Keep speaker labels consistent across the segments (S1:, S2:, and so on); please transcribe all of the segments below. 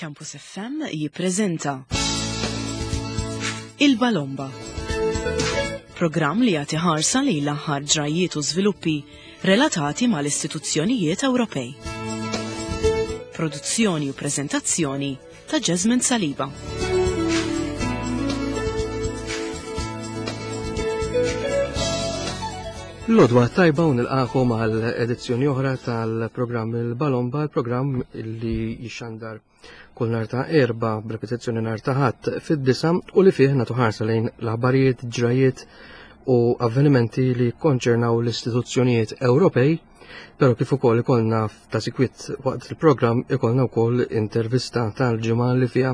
S1: Campus FM jippreżenta Il-Balomba. Programm li jagħti ħarsa lejn l-aħħar ġrajjiet u żviluppi relatati mal-istituzzjonijiet Ewropej. Produzzjoni u preżentazzjoni ta' Jasmine Saliba.
S2: L-odwa tajba u nilqakom għal edizzjoni oħra tal-programm il-Balomba, il-programm li jixxandar kull nar ta' erba b'repetizzjoni nar ta' ħadd fid-disa u li fih nagħtu ħarsa lejn l-aħbarijiet, ġrajiet u avvenimenti li konċernaw l-istituzzjonijiet Ewropej, però kif ukoll ikollna ta' sikwit waqt il-programm ikollna wkoll intervista tal-ġimgħa li fiha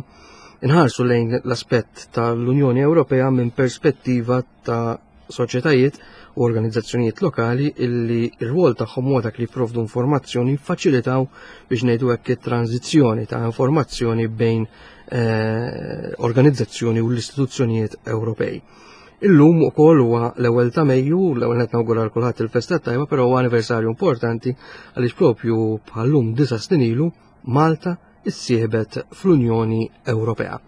S2: inħarsu lejn l-aspett tal-Unjoni Ewropea minn perspettiva ta' soċjetajiet u organizzazzjonijiet lokali illi r-rwol tagħhom huwa dak li jipprovdu informazzjoni jiffaċilitaw biex ngħidu hekk it-tranzizzjoni ta' informazzjoni bejn eh, organizzazzjoni u l-istituzzjonijiet Ewropej. Illum ukoll huwa l-ewwel ta' Mejju, l-ewwel qed nawgura l kulħadd il-festa tajba, però huwa anniversarju importanti għaliex propju bħallum disa' snin ilu Malta issieħbet fl-Unjoni Ewropea.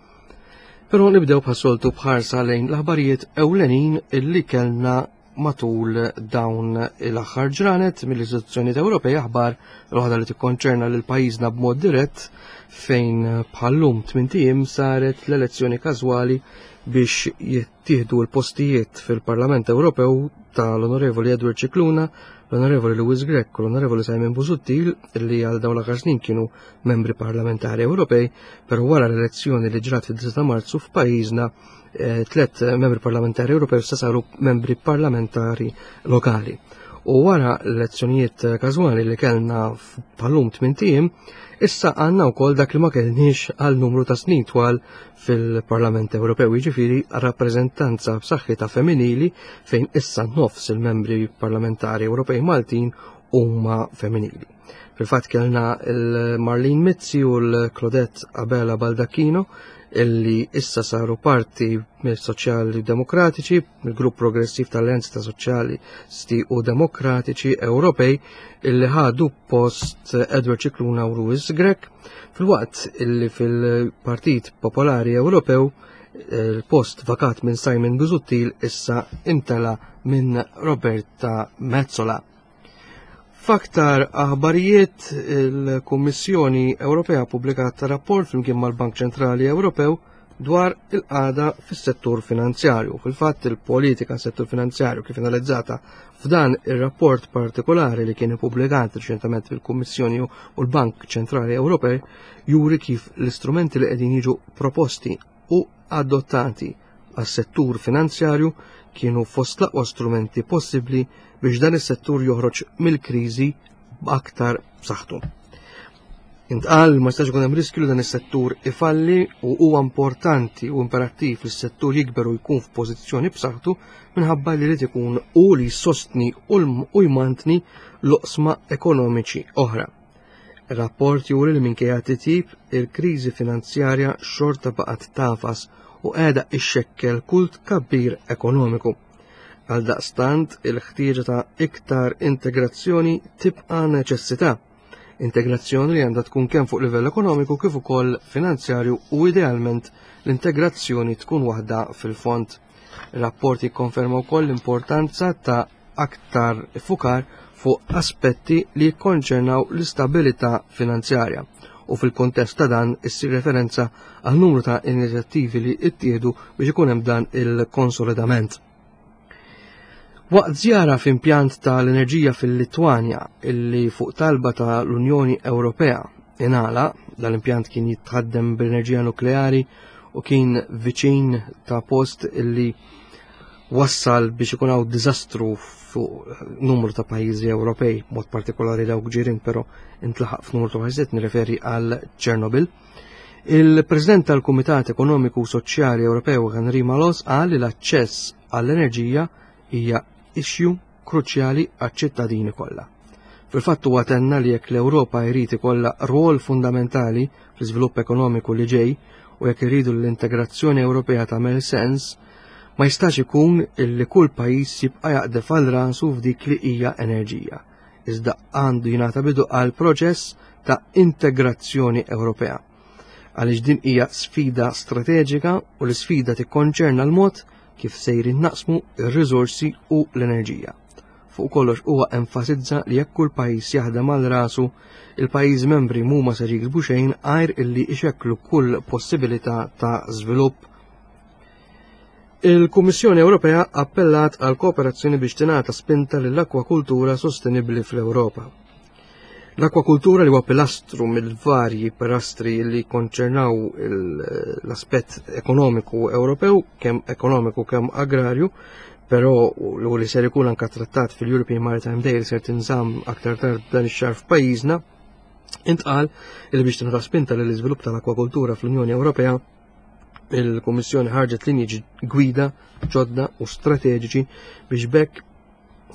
S2: Però nibdew bħas-soltu bħarsa lejn l-aħbarijiet ewlenin illi kellna matul dawn l-aħħar ġranet mill-istituzzjonijiet Ewropej aħbar l-waħda li tikkonċerna lil pajjiżna b'mod dirett fejn bħallum tmint saret l-elezzjoni każwali biex jittieħdu l-postijiet fil-Parlament Ewropew tal-Onorevoli Edward Cicluna, l-Onorevoli Louis Grech u l-Onorevoli Simon Busuttil li għal dawn l-aħħar snin kienu membri parlamentari Ewropej, però wara l-elezzjoni li ġrat fid-9 ta' Marzu f'pajjiżna eh, tlet membri parlamentari Ewropew sa saru membri parlamentari lokali. U wara l-elezzjonijiet każwali li kellna bħalum tmien issa għandna wkoll dak li ma kellniex għal numru ta' snin twal fil-Parlament Ewropew, jiġifieri rappreżentanza b'saħħitha femminili fejn issa nofs il-membri parlamentari Ewropej Maltin huma femminili. Fil-fatt kellna l-Marlene Mizzi u l-Claudette Abela Baldacchino illi issa saru parti mill-Soċjali Demokratiċi, mill-Grupp Progressiv tal-Alleanza ta' Soċjalisti u Demokratiċi Ewropej illi ħadu post Edward Cicluna u Louis Grech, fil-waqt illi fil-Partit Popolari Ewropew il-post vakat minn Simon Busuttil issa imtela minn Roberta Metsola. F'aktar aħbarijiet, il-Kummissjoni Ewropea ppubblikat rapport flimkien mal-Bank Ċentrali Ewropew dwar il-qagħda fis-settur finanzjarju. Fil-fatt il-politika settur finanzjarju kif analizzata f'dan ir-rapport partikolari li kien ippubblikat riċentement fil-Kummissjoni u l-Bank Ċentrali Ewropej juri kif l-istrumenti li qegħdin jiġu proposti u adottati għas-settur finanzjarju kienu fost l-aqwa strumenti possibbli biex dan is-settur joħroġ mill-kriżi b'aktar b'saħħtu. Intqal ma jistax ikun hemm riskju li dan is-settur ifalli u huwa importanti u imperattiv li s-settur jikber u jkun f'pożizzjoni b'saħħtu minħabba li jrid ikun u li jsostni u jmantni l-oqsma ekonomiċi oħra. Ir-rapport juri li minkejja titjib, il-kriżi finanzjarja xorta baqgħet tagħfas u qiegħda ixxekkel kull tkabbir ekonomiku. Għaldaqstant, il-ħtieġa ta' iktar integrazzjoni tibqa' neċessità. Integrazzjoni li għandha tkun kemm fuq livell ekonomiku kif ukoll finanzjarju u idealment l-integrazzjoni tkun waħda fil-fond. Ir-rapport jikkonferma wkoll l-importanza ta' aktar iffukar fuq aspetti li jikkonċernaw l-istabilità finanzjarja u fil-kontest ta' dan issir referenza għal numru ta' inizjattivi li ttieħdu biex ikun hemm dan il-konsolidament. Waqt żjara f'impjant tal-enerġija fil-Litwanja illi fuq talba ta' l-Unjoni Ewropea ingħala, dal-impjant kien jitħaddem bl-enerġija nukleari u kien viċin ta' post illi wassal biex ikun hawn diżastru fuq numru ta' pajjiżi Ewropej, mod partikolari dawk ġirien, però intlaħaq f'numru ta' pajjiżi nirreferi għal Ċernobil. Il-President tal-Kumitat Ekonomiku u Soċjali Ewropew Henri Malos qal li l-aċċess għall-enerġija hija issue kruċjali għaċ-ċittadini kollha. Fil-fatt huwa tenna li jekk l-Ewropa jrid ikollha rwol fundamentali fl-iżvilupp ekonomiku li ġej u jekk irridu l-integrazzjoni Ewropea tagħmel sens, ma jistax ikun illi kull pajjiż jibqa' jaqdef għal rasu f'dik li hija enerġija. Iżda għandu jingħata bidu għal proċess ta' integrazzjoni Ewropea. Għaliex din hija sfida strateġika u l-isfida tikkonċerna l-mod kif sejrin naqsmu r-riżorsi u l-enerġija. Fuq kollox huwa enfasizza li jekk kull pajjiż jaħdem għal rasu, il-pajjiżi membri mhuma ser jiksbu xejn għajr illi ixekklu kull possibilità ta' żvilupp. Il-Kummissjoni Ewropea appellat għal kooperazzjoni biex tingħata spinta lill-akwakultura sostenibbli fl-Ewropa. L-akwakultura li huwa pilastru mill-varji pilastri li konċernaw l-aspett ekonomiku Ewropew, kemm ekonomiku kemm agrarju, però u li ser ikun anka trattat fil-European Maritime Day li ser tinżamm aktar tard dan ix-xahar f'pajjiżna, intqal li biex tingħata spinta lill iżvilupp tal-akwakultura fl-Unjoni Ewropea, il-Kummissjoni ħarġet linji gwida ġodda u strateġiċi biex bekk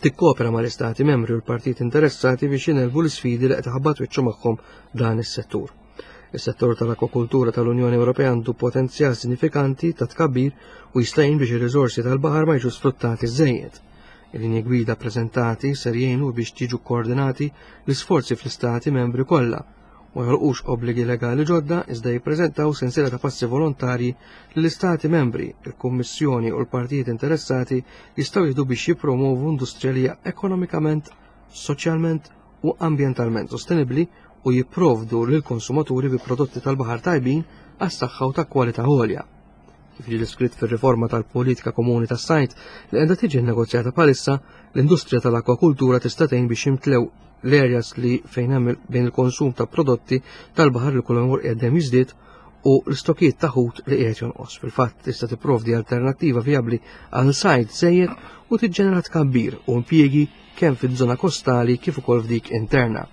S2: tikkopera mal-Istati membri u l-partijiet interessati biex jingħelbu l-isfidi li qed iħabbat wiċċu magħhom dan is-settur. Is-settur tal-akwakultura tal-Unjoni Ewropea għandu potenzjal sinifikanti ta' tkabbir u jista' jgħin biex ir-riżorsi tal-baħar ma jiġux sfruttati żejjed. Il-linji gwida preżentati ser jgħinu biex jiġu koordinati l-isforzi fl-istati membri kollha ma joħolqux obbligi legali ġodda iżda jippreżentaw sensiela ta' passi volontarji li l-Istati membri, il-Kummissjoni u l-partijiet interessati jistgħu jieħdu biex jippromovu industrija li hija ekonomikament, soċjalment u ambjentalment sostenibbli u jipprovdu lill-konsumaturi bi prodotti tal-baħar tajbin għas-saħħa u ta' kwalità għolja. Kif ġie deskritt fir-riforma tal-politika komuni tas-sajd li qiegħda tiġi nnegozjata bħalissa, l-industrija tal-akwakultura tista' tgħin biex jimtlew l-areas li fejn hemm bejn il-konsum ta' prodotti tal-baħar li kull jmur qiegħed jiżdied u l-istokijiet ta' ħut li qiegħed jonqos. Fil-fatt tista' tipprovdi alternattiva vijabbli għal sajd żejjed u tiġġenera tkabbir u impjiegi kemm fiż-żona kostali kif ukoll f'dik interna.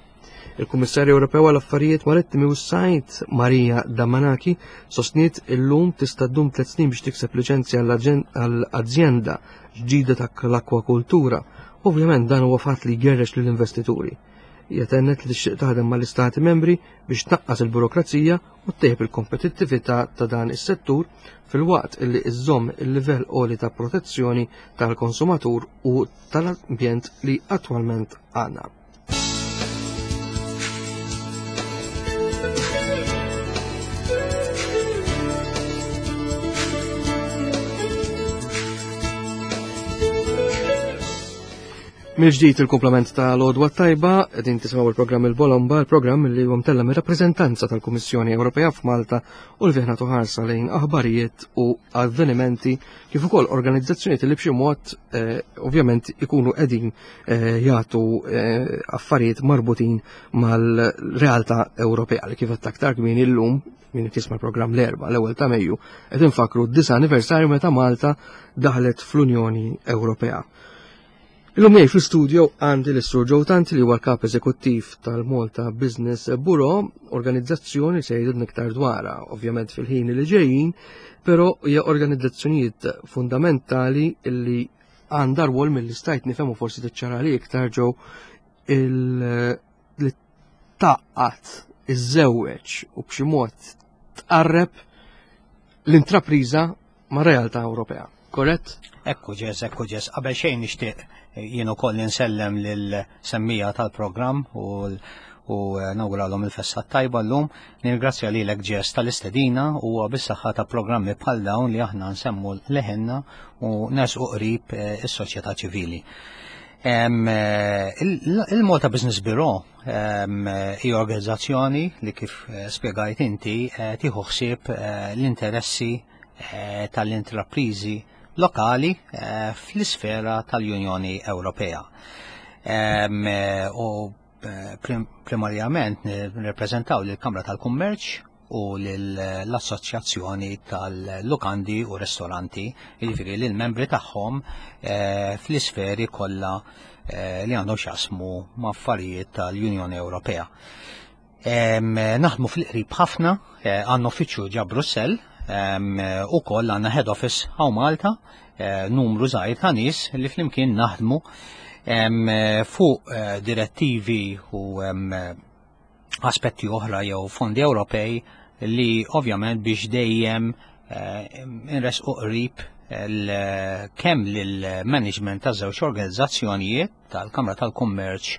S2: Il-Kummissarju Ewropew għal Affarijiet Marittimi u s-Sajd Maria Damanaki sostniet illum tista' ddum tliet snin biex tikseb liċenzja għal azjenda ġdida ta' l-akwakultura. Ovvjament dan huwa fatt li jgerrex lill-investituri. Hija tennet li tixtieq taħdem mal-istati membri biex tnaqqas il-burokrazija u ttejjeb il-kompetittività ta' dan is-settur filwaqt li iżżomm il-livell għoli ta' protezzjoni tal-konsumatur u tal-ambjent li attwalment għandna. Mill-ġdid il-komplement ta' l-odwa tajba, din tisimgħu il-programm il-Bolomba, il-programm li huwa mtella mir-rappreżentanza tal-Kummissjoni Ewropea f'Malta u li fih nagħtu ħarsa lejn aħbarijiet u avvenimenti kif ukoll organizzazzjonijiet li b'xi mod eh, ovvjament ikunu qegħdin eh, jagħtu eh, affarijiet marbutin mal-realtà Ewropea li kif qed aktar kmieni llum min qed jisma' l-programm l-erba' l-ewwel ta' Mejju qed infakru d-disa' anniversarju meta Malta daħlet fl-Unjoni Ewropea. Illum miegħi fl-istudio għandi l-Sur Joe Tanti li huwa l-kap eżekuttiv tal-Malta Business Bureau, organizzazzjoni se jgħidilna iktar dwarha, ovvjament fil-ħin li ġejjin, però hija organizzazzjonijiet fundamentali li għandha rwol mill stajt nifhem u forsi tiċċara li iktar ġew il li taqqat iżżewweġ u b'xi mod tqarreb l-intrapriża ma' realtà Ewropea. Korrett?
S3: Ekku ġes, ekku ġes. Qabel xejn nixtieq jien ukoll insellem lil semmija tal-programm u u eh, nawguralhom il-festa tajba llum. Nirgrazzja lilek ġes tal-istedina u bis-saħħa ta' programmi bħal dawn li aħna nsemmu leħenna u nersqu qrib eh, is-soċjetà ċivili. Eh, Il-Malta Business Bureau hija organizzazzjoni li kif spjegajt inti tieħu ħsieb l-interessi Eh, tal-intrapriżi lokali eh, fl-isfera tal-Unjoni Ewropea. Eh, u primarjament nirrepreżentaw lill-Kamra tal-Kummerċ u l-Assoċjazzjoni tal-Lukandi u Ristoranti, jiġifieri lill-membri tagħhom fl-isferi kollha li għandhom x'jaqsmu ma' affarijiet tal-Unjoni Ewropea. Naħdmu fil-qrib ħafna, eh, għandna uffiċċju ġa Brussell, u koll għandna head office hawn Malta, eh, numru żgħir ta' nies li flimkien naħdmu fuq eh, direttivi u aspetti oħra jew fondi Ewropej li ovvjament biex dejjem inresqu qrib kemm lill-management ta' żewġ organizzazzjonijiet tal-Kamra tal-Kummerċ.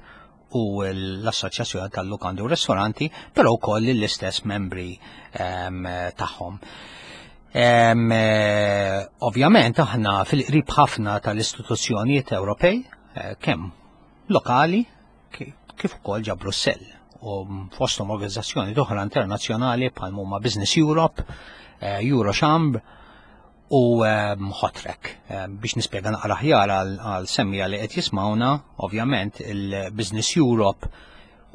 S3: u l-Assoċjazzjoni tal-Lukandi u Ristoranti, però wkoll lill-istess membri tagħhom. Ovvjament aħna fil-qrib ħafna tal-istituzzjonijiet Ewropej, kemm lokali kif ukoll ġa Brussell u fosthom organizzazzjoni oħra internazzjonali bħal huma Business Europe, Eurochambre u Hotrec. Biex nispjega naqra aħjar għal semmija li qed jismawna, ovvjament il-Business Europe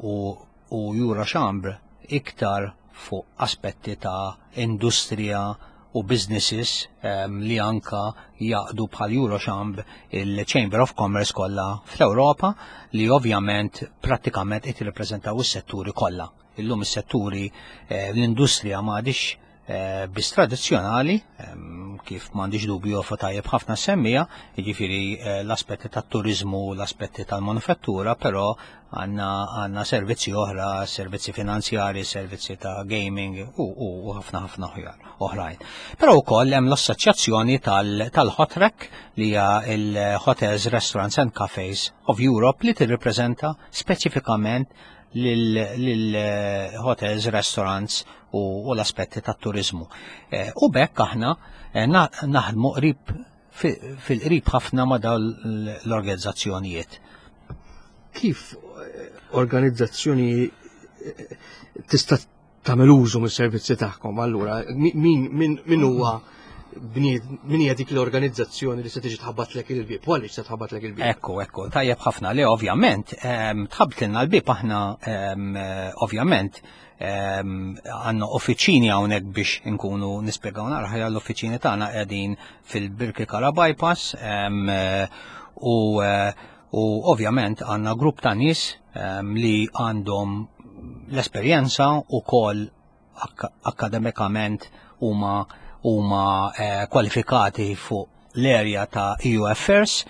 S3: u Eurochambre iktar fuq aspetti ta' industrija u businesses li anka jaqdu bħal Eurochambre il-Chamber of Commerce kollha fl-Ewropa li ovvjament prattikament qed jirrappreżentaw is-setturi kollha. Illum is-setturi l-industrija m'għadix biss tradizzjonali, kif m'għandix dubju fa tajjeb ħafna semmija, jiġifieri l-aspetti tat-turiżmu, l-aspetti tal-manufattura, però għandna servizzi oħra, servizzi finanzjari, servizzi ta' gaming u ħafna ħafna oħrajn. Però wkoll hemm l-assoċjazzjoni tal-Hotrec li hija il-Hotels, Restaurants and Cafes of Europe li tirrippreżenta speċifikament lil-hotels, restaurants u l-aspetti tat-turizmu. U bekk aħna naħdmu qrib fil-qrib ħafna ma' dawn l-organizzazzjonijiet.
S2: Kif organizzazzjoni tista' tagħmel użu mis-servizzi tagħkom allura min huwa bnied, min hija dik l-organizzazzjoni li se tiġi tħabbatlek il-bieb, u għaliex se tħabbatlek il-bieb?
S3: Ekku, ekku, tajjeb ħafna li ovvjament tħabtilna l-bieb aħna ovvjament għandna uffiċini hawnhekk biex inkunu nispjegaw naqra ħajja l-uffiċini tagħna qegħdin fil-Birkirkara Bypass u ovvjament għandna grupp ta' nies li għandhom l-esperjenza u kol akademikament huma kwalifikati fuq l-area ta' EU Affairs.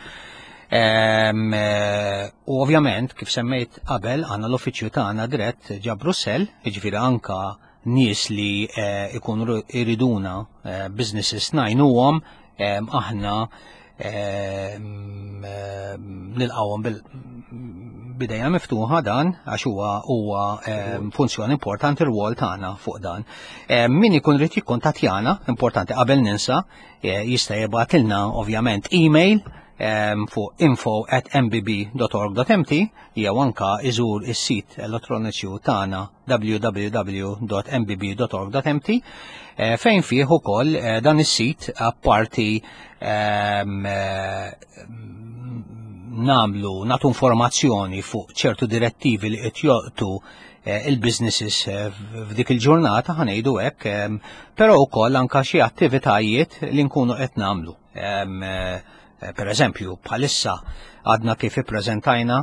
S3: U ovvjament, kif semmejt qabel, għandna l-uffiċċju tagħna dirett ġa Brussell, jiġifieri anka nies li ikunu iriduna businesses ngħinuhom, aħna nilqawhom bil-bidejja miftuħa dan għax huwa funzjoni importanti r-rwol tagħna fuq dan. Min ikun rid jikkuntattjana, importanti qabel ninsa, jista' jibgħatilna ovvjament email fuq info@mbb.org.mt jew anka iżur is-sit elettroniċi tagħna www.mbb.org.mt fejn fih ukoll dan is-sit apparti namlu natu informazzjoni fuq ċertu direttivi li qed joqtu il-businesses f'dik il-ġurnata ħanejdu hekk, però wkoll anka xi attivitajiet li nkunu qed nagħmlu. Per eżempju, bħalissa għadna kif ippreżentajna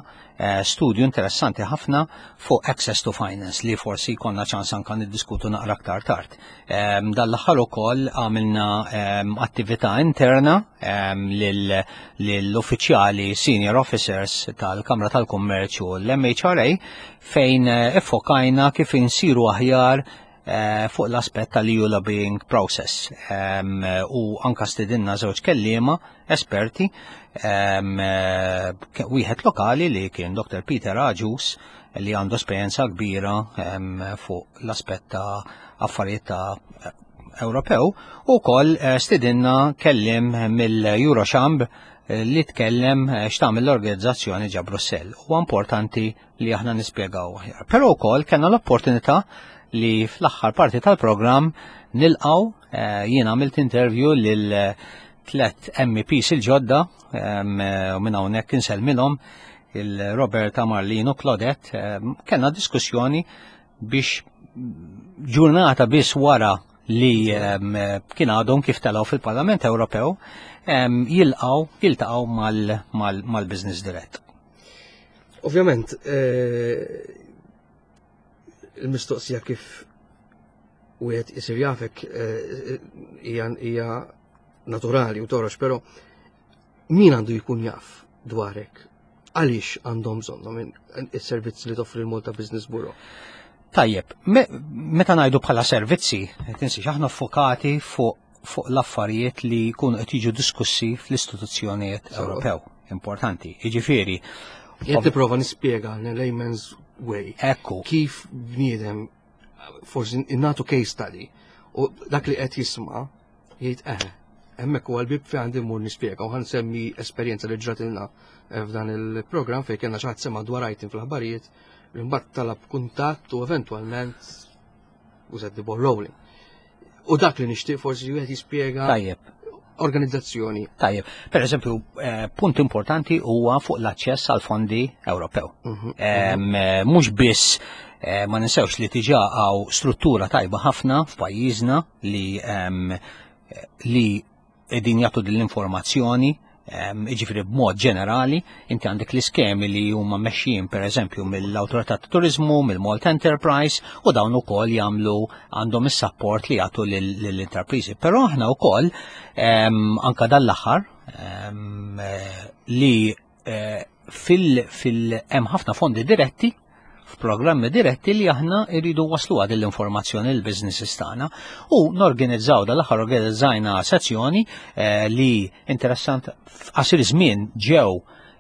S3: studju interessanti ħafna fuq Access to Finance li forsi konna ċans anka niddiskutu naqra aktar tard. Dan l-aħħar ukoll għamilna attività interna lill-uffiċjali senior officers tal-Kamra tal-Kummerċ u l-MHRA fejn iffokajna kif insiru aħjar fuq l-aspett tal-EU lobbying process. U anka stidinna żewġ kelliema esperti, wieħed lokali li kien Dr. Peter Agius li għandu esperjenza kbira fuq l-aspett ta' affarijiet ta' Ewropew, u wkoll stidinna kellim mill-Eurochambre li tkellem x'tagħmel l-organizzazzjoni ġa Brussell. Huwa importanti li aħna nispjegaw aħjar. Però wkoll kellna l-opportunità li fl-aħħar parti tal-programm nilqgħu jien għamilt interview lil tlet MEPs il-ġodda u minn hawnhekk insellmilhom il-Roberta Marlino Claudette, kellna diskussjoni biex ġurnata biss wara li kien għadhom kif telgħu fil-Parlament Ewropew jiltaqgħu mal-Business Direct.
S2: Ovvjament, il-mistoqsija kif wieħed isir jafek hija naturali u torox, però min għandu jkun jaf dwarek? Għaliex għandhom bżonnhom is-servizzi li toffri l-Malta Business Bureau?
S3: Tajjeb, meta ngħidu bħala servizzi, tinsiex aħna fokati fuq l-affarijiet li jkunu qed jiġu diskussi fl-istituzzjonijiet Ewropew. Importanti. Jiġifieri,
S2: Jien tipprova nispjega in layman's way.
S3: Ekku.
S2: Kif bniedem forsi nagħtu case study u dak li qed jisma' jgħid eħe, hemmhekk huwa l-bib fejn għandi mmur nispjega u ħansemmi esperjenza li ġratilna eh, f'dan il-programm fejn kellna xi ħadd sema' dwar item fl-aħbarijiet li mbagħad talab kuntatt u eventwalment u set the ball rolling. U dak li nixtieq forsi wieħed jispjega.
S3: Tajjeb.
S2: Organizzazzjoni.
S3: Tajjeb. Per eżempju, eh, punt importanti huwa fuq l-aċċess għal fondi Ewropew. Mhm, mhm. Eh, mhux biss eh, ma ninsewx li tiġa għaw struttura tajba ħafna f'pajjiżna li li qegħdin jagħtu din l-informazzjoni jiġifieri b'mod ġenerali, inti għandek l-iskemi li huma mexjin pereżempju mill-Awtorità ta' Turiżmu, mill-Malta Enterprise u dawn ukoll jagħmlu għandhom is-sapport li jagħtu lill-intrapriżi. Però aħna wkoll anka dan l-aħħar li eh, fil hemm ħafna fondi diretti f'programmi diretti li aħna irridu waslu għad l-informazzjoni l-businesses tagħna u norganizzaw dal-aħħar organizzajna sezzjoni eh, li interessant f'qasir żmien ġew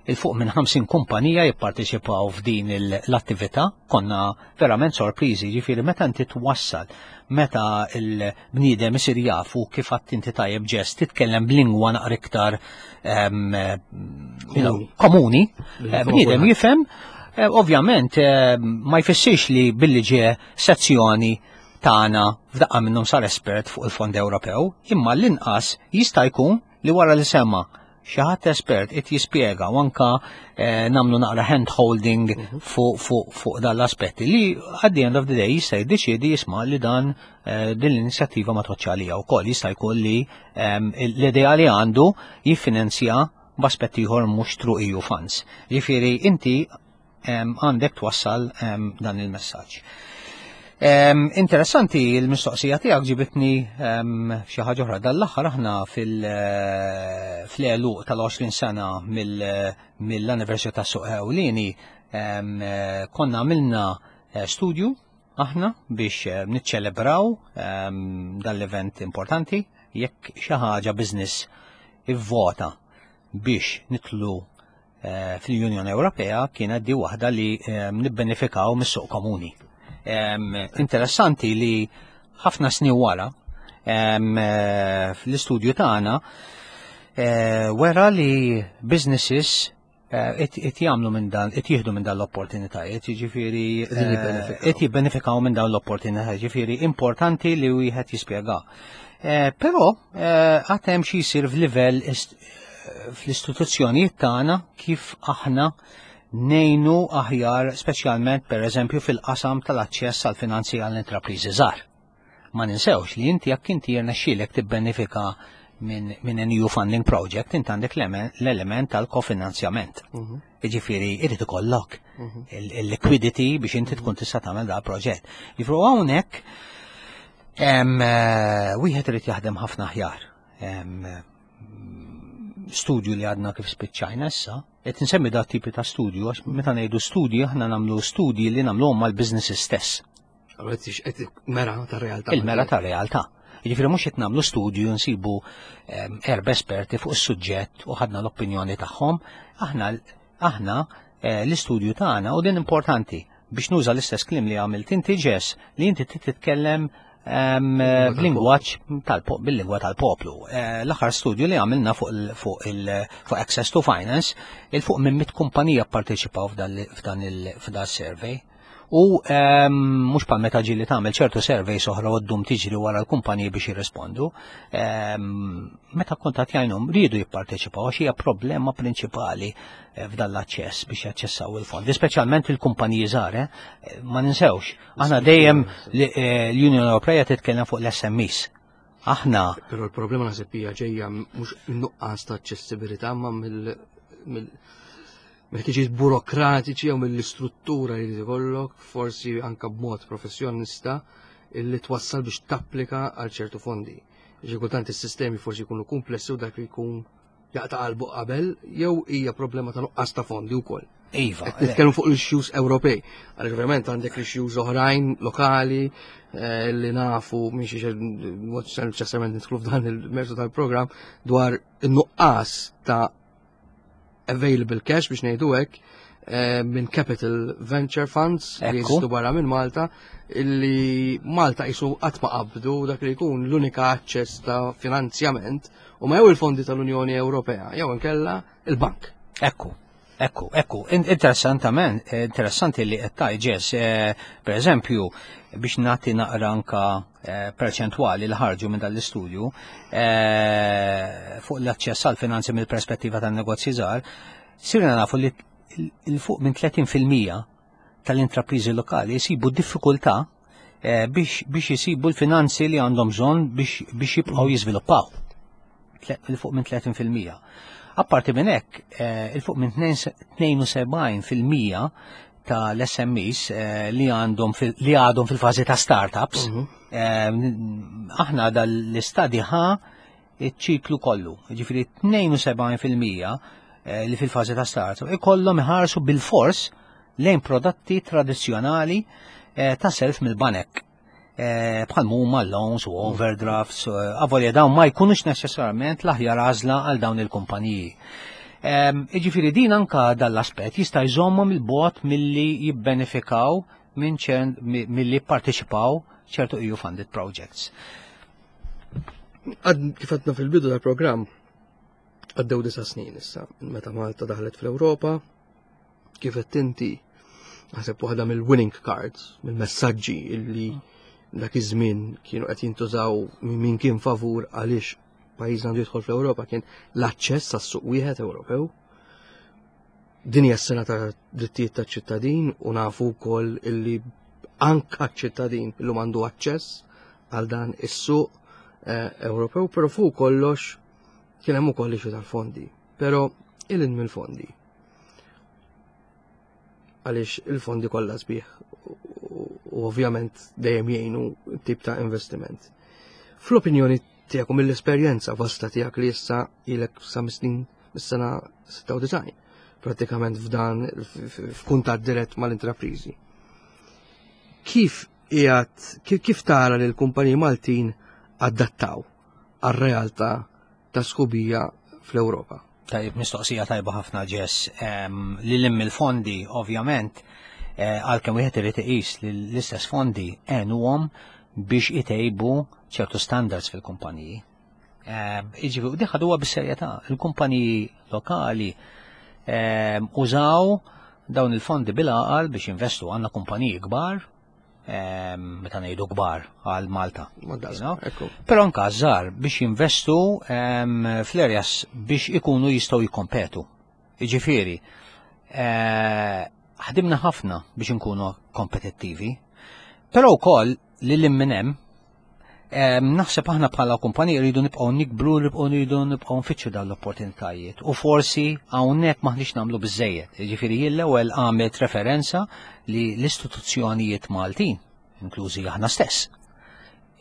S3: il-fuq minn 50 kumpanija jipparteċipaw f'din l-attività, konna verament sorpriżi, ġifieri meta inti twassal, meta l-bniedem isir jafu kif għadt inti tajjeb ġest, titkellem b'lingwa naqra iktar komuni, eh, bniedem jifhem, eh, ovvjament eh, ma jfissirx li billi ġie sezzjoni tagħna f'daqqa minnhom sar espert fuq il-Fond Ewropew, imma l-inqas jista' jkun li wara li sema xi ħadd espert qed jispjega u anka eh, nagħmlu naqra hand holding mhm. fuq fu, fu dan l-aspetti li at the end of the day jista' jiddeċiedi jisma' li dan eh, din l-inizjattiva ma toċċa għalija wkoll jista' jkun li ehm, l-idea li għandu jiffinanzja b'aspett ieħor mhux through EU funds. Ġifieri inti għandek twassal dan il-messaġġ. Interessanti l-mistoqsija tiegħek ġibitni xi ħaġa oħra. Dan l-aħħar aħna fil-għeluq eh, tal-20 sena mill-anniversarju ta' Suq Ewlieni konna għamilna eh, studju aħna biex eh, niċċelebraw dan l-event importanti jekk xi ħaġa business ivvota biex nitlu Eh, fl-Unjoni Ewropea kienet di waħda li eh, nibbenefikaw mis-suq komuni. Interessanti li ħafna snin wara eh, fl-istudju tagħna wera li businesses qed jagħmlu minn dan, qed jieħdu minn dan l-opportunitajiet, jiġifieri qed jibbenefikaw minn dawn l-opportunitajiet, jiġifieri importanti li wieħed jispjega. Però għad hemm xi jsir f'livell fl-istituzzjonijiet tagħna kif aħna nejnu aħjar speċjalment per eżempju fil-qasam tal-aċċess għal finanzi għall intrapriżi żgħar. Ma ninsewx li inti jekk inti jirnexxielek tibbenefika minn min an EU funding project, inti għandek l-element tal-kofinanzjament. Mhm. Jiġifieri irid ikollok mhm. il-liquidity biex inti tkun tista' tagħmel da proġett. Jiġifieri hawnhekk eh, wieħed irid jaħdem ħafna aħjar studju li għadna kif spiċċajna issa, qed insemmi da tipi ta' studju għax meta ngħidu studji aħna nagħmlu studji li nagħmluhom mal-businesses stess.
S2: Mera ta' realtà.
S3: Il-mera ta' realtà. Jiġifieri mhux qed nagħmlu studju nsibu erba' esperti fuq is-suġġett u ħadna l-opinjoni tagħhom, aħna aħna eh, l-istudju tagħna u din importanti biex nuża l-istess kliem li għamilt inti ġes li inti titkellem b'lingwaġġ bil-lingwa tal-poplu. Eh, l-aħħar studju li għamilna fuq fuq Access to Finance, il fuq minn mit kumpanija pparteċipaw f'dan il-survey. U mhux bħal meta ġieli tagħmel ċertu surveys oħra u ddum tiġri wara l-kumpaniji biex jirrispondu. Meta kontattjajnhom riedu jipparteċipaw għax hija problema prinċipali eh, f'dan l-aċċess biex jaċċessaw il-fondi, speċjalment il-kumpaniji żgħar, eh, ma ninsewx. Aħna dejjem eh, l-Unjoni Ewropea titkellem fuq l-SMEs. Aħna.
S2: Però l-problema naħseb hija ġejja mhux nuqqas ta' aċċessibilità ma mill mill-ħtiġijiet burokratiċi jew mill-istruttura li jrid ikollok, forsi anka b'mod professjonista illi twassal biex tapplika għal ċertu fondi. Xi kultant is-sistemi forsi jkunu komplessi u dak li jkun jaqta' qalbu qabel jew hija problema ta' nuqqas ta' fondi wkoll.
S3: Iva.
S2: Qed nitkellmu fuq l-issues Ewropej. Għaliex ovvjament għandek l-issues oħrajn lokali eh, li nafu minn xi mod neċessarjament nidħlu f'dan il-mertu tal-programm dwar in-nuqqas ta' available cash biex ngħidu hekk. minn Capital Venture Funds li jeżistu barra minn Malta illi Malta jisu qatt ma qabdu dak li jkun l-unika aċċess ta' finanzjament u ma jew il-fondi tal-Unjoni Ewropea jew inkella il-bank.
S3: Ekku. Ekku, ekku, interessantament, interessanti li qed tgħid eh, per eżempju, biex nagħti naqra anka eh, perċentwali li ħarġu minn dal-istudju eh, fuq l-aċċess għal finanzi mill-perspettiva tan-negozji żgħar, sirna nafu li il fuq minn 30% tal-intrapriżi lokali jsibu diffikultà eh, biex jisibu l-finanzi li għandhom bżonn biex jibqgħu jiżviluppaw. Il fuq minn 30%. Apparti minn hekk, eh, il fuq minn 72% tal-SMEs eh, li għandhom li għadhom fil-fażi ta' startups, aħna dal-istadi ħa iċ-ċiklu kollu. Ġifieri 72% eh, li fil-fażi ta' startup ikollhom iħarsu bil-fors lejn prodotti tradizzjonali eh, ta' self mill-banek. Eh, bħal huma loans u overdrafts, avolja dawn ma jkunux neċessarjament l-aħjar għażla għal dawn il-kumpaniji. Ehm, Iġifieri din anka dal-aspett jista' jżommhom il-bot milli jibbenefikaw minn milli parteċipaw ċertu EU funded projects.
S2: Kif għadna fil-bidu tal-programm, għaddew disa snin issa, meta Malta daħlet fl-Ewropa, kif qed inti naħseb waħda mill-winning cards, mill-messaġġi illi dak iż-żmien kienu qed jintużaw min kien favur għaliex pajjiżna għandu jidħol fl-Ewropa kien l-aċċess għas-suq wieħed Ewropew. Din hija s-sena ta' drittijiet taċ-ċittadin u nafu wkoll illi anka ċ-ċittadin illum għandu aċċess għal dan is-suq eh, Ewropew, però fuq kollox kien hemm ukoll ixu tal-fondi. Però ilin mill-fondi. Għaliex il-fondi kollha sbieħ u ovvjament dejjem jgħinu tip ta' investiment. Fl-opinjoni tiegħek u mill-esperjenza vasta tiegħek li issa ilek sa snin mis-sena 96 pratikament f'dan f'kuntatt dirett mal-intrapriżi. Kif qiegħed kif tara li l-kumpaniji Maltin adattaw għar-realtà ta' sħubija fl-Ewropa?
S3: Tajib, mistoqsija tajba ħafna ġess. Li l il-fondi, ovvjament, eh, għalkemm wieħed irid iqis li l-istess fondi għenuhom biex itejbu ċertu standards fil-kumpaniji. Iġifieri, u diħad huwa bis-serjetà. Il-kumpaniji lokali użaw dawn il-fondi bil-għaqal biex jinvestu għandna kumpaniji kbar, meta ngħidu kbar għal Malta. Però anka żgħar biex jinvestu fl-areas biex ikunu jistgħu jikkompetu. Jiġifieri, eh, ħdimna ħafna biex inkunu kompetittivi, però wkoll li l minn hemm naħseb aħna bħala kumpanija rridu nibqgħu nikbru, nibqgħu rridu nibqgħu nfittxu dawn l-opportunitajiet. U forsi hawnhekk maħniex nagħmlu biżejjed. Jiġifieri jien l-ewwel għamilt referenza li l-istituzzjonijiet Maltin, inklużi aħna stess,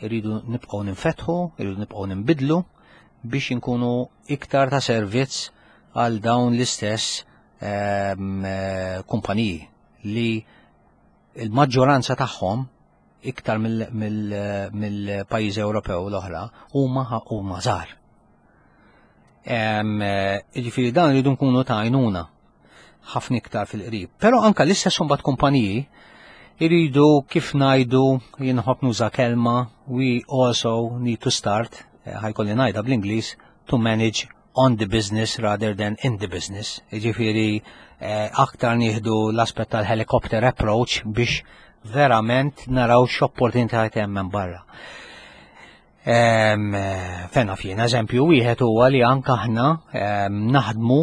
S3: irridu nibqgħu ninfetħu, irridu nibqgħu ninbidlu biex inkunu iktar ta' servizz għal dawn l-istess eh, kumpaniji li il-maġġoranza tagħhom iktar mill-pajjiżi Ewropew l-oħra huma huma żgħar. Eh, jiġifieri dan rridu nkunu ta' għajnuna ħafna iktar fil-qrib. Però anka l-istess imbagħad kumpaniji iridu kif ngħidu jien nħobb nuża kelma we also need to start eh, ħajkolli ngħidha bl-Ingliż to manage on the business rather than in the business. Jiġifieri eh, aktar nieħdu l-aspett tal-helicopter approach biex verament naraw x'opportunitajiet hemm minn barra. Eh, fena fjien, eżempju, wieħed huwa li anke aħna naħdmu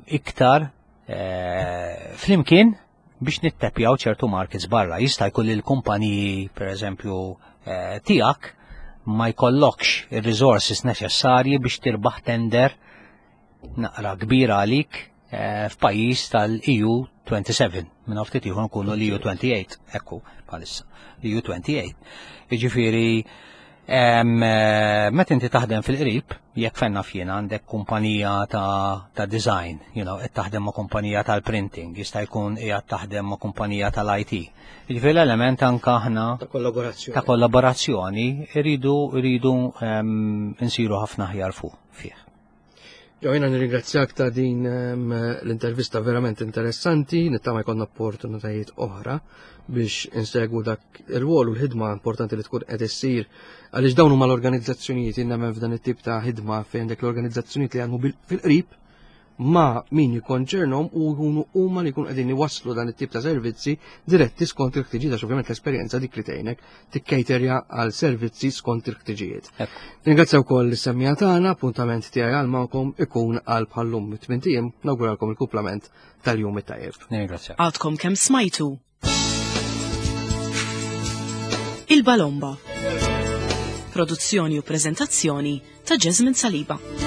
S3: iktar eh, flimkien biex nittepjaw ċertu markets barra. Jista' jkun li l-kumpaniji, per eżempju, eh, tiegħek ma jkollokx ir-resources neċessarji biex tirbaħ tender naqra kbira għalik eh, f'pajjiż tal-EU 27. Minn ftit ieħor nkunu l-EU 28, ekku bħalissa, l-EU 28. Jiġifieri Eh, meta inti taħdem fil-qrib, jekk fenna fjien għandek kumpanija ta', ta design, you know, qed taħdem ma' kumpanija tal-printing, jista' jkun qiegħed taħdem ma' kumpanija tal-IT. Jiġifieri l-element anke aħna
S2: ta' kollaborazzjoni.
S3: Ta' kollaborazzjoni irridu irridu nsiru ħafna aħjar fuq fih.
S2: Jo, jena nirringrazzjak ta' din ehm, l-intervista verament interessanti, nittama jkollna opportunitajiet oħra biex insegwu dak il-wol u l-ħidma importanti li tkun qed issir għaliex dawn huma l-organizzazzjonijiet nemmen f'dan it-tip ta' ħidma fejn għandek l-organizzazzjonijiet li għandhom fil-qrib ma' min jikkonċernhom u jkunu huma li jkunu qegħdin iwasslu dan it-tip ta' servizzi diretti skont il-ħtiġijiet għax ovvjament l-esperjenza dik li tgħinek tikkejterja għal servizzi skont il-ħtiġijiet. Ringrazzja wkoll is-semmija tagħna, appuntament tiegħi għal magħkom ikun għal bħallum tmien nawguralkom il-kuplament tal-jum it-tajjeb.
S3: Ringrazzja.
S1: Għadkom kemm smajtu Il-Balomba. Produzzjoni u prezentazzjoni ta' Jasmine Saliba.